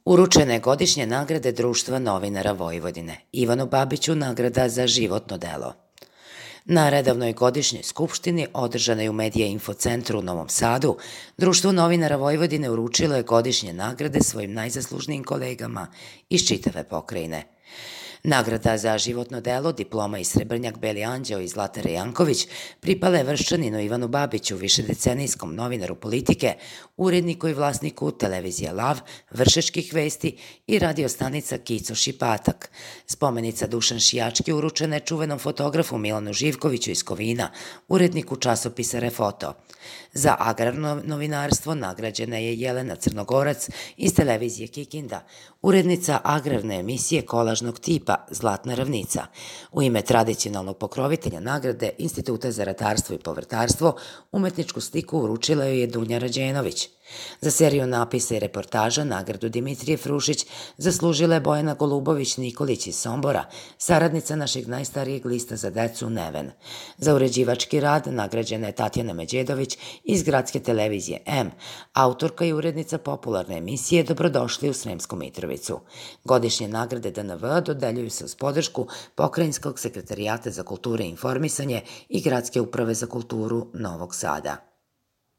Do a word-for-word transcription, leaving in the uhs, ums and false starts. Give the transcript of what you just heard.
Uručene godišnje nagrade Društva novinara Vojvodine. Ivanu Babiću nagrada za životno delo. Na redovnoj godišnjoj skupštini, održanoj u Medija Info centru u Novom Sadu, Društvo novinara Vojvodine uručilo je godišnje nagrade svojim najzaslužnijim kolegama iz čitave pokrajine. Nagrada za životno delo, diploma i srebrnjak Beli anđeo i Zlatara Janković pripala je Vrščaninu Ivanu Babiću, višedecenijskom novinaru politike, uredniku i vlasniku televizije Lav, Vršačkih vesti i radio stanica Kico Šipatak. Spomenica Dušan Šijački uručena je čuvenom fotografu Milanu Živkoviću iz Kovina, uredniku časopisa Refoto. Za agrarno novinarstvo nagrađena je Jelena Crnogorac iz televizije Kikinda, urednica agrarne emisije kolažnog tipa Zlatna ravnica. U ime tradicionalnog pokrovitelja nagrade Instituta za ratarstvo i povrtarstvo umetničku sliku uručila joj je Dunja Rađenović. Za seriju napisa i reportaža nagradu Dimitrije Frušić zaslužila je Bojana Golubović-Nikolić iz Sombora, saradnica našeg najstarijeg lista za decu Neven. Za uređivački rad nagrađena je Tatjana Međedović iz gradske televizije M, autorka i urednica popularne emisije Dobrodošli u Sremsku Mitrovicu. Godišnje nagrade D N V dodeljuju se uz podršku Pokrajinskog sekretarijata za kulturu i informisanje i Gradske uprave za kulturu Novog Sada.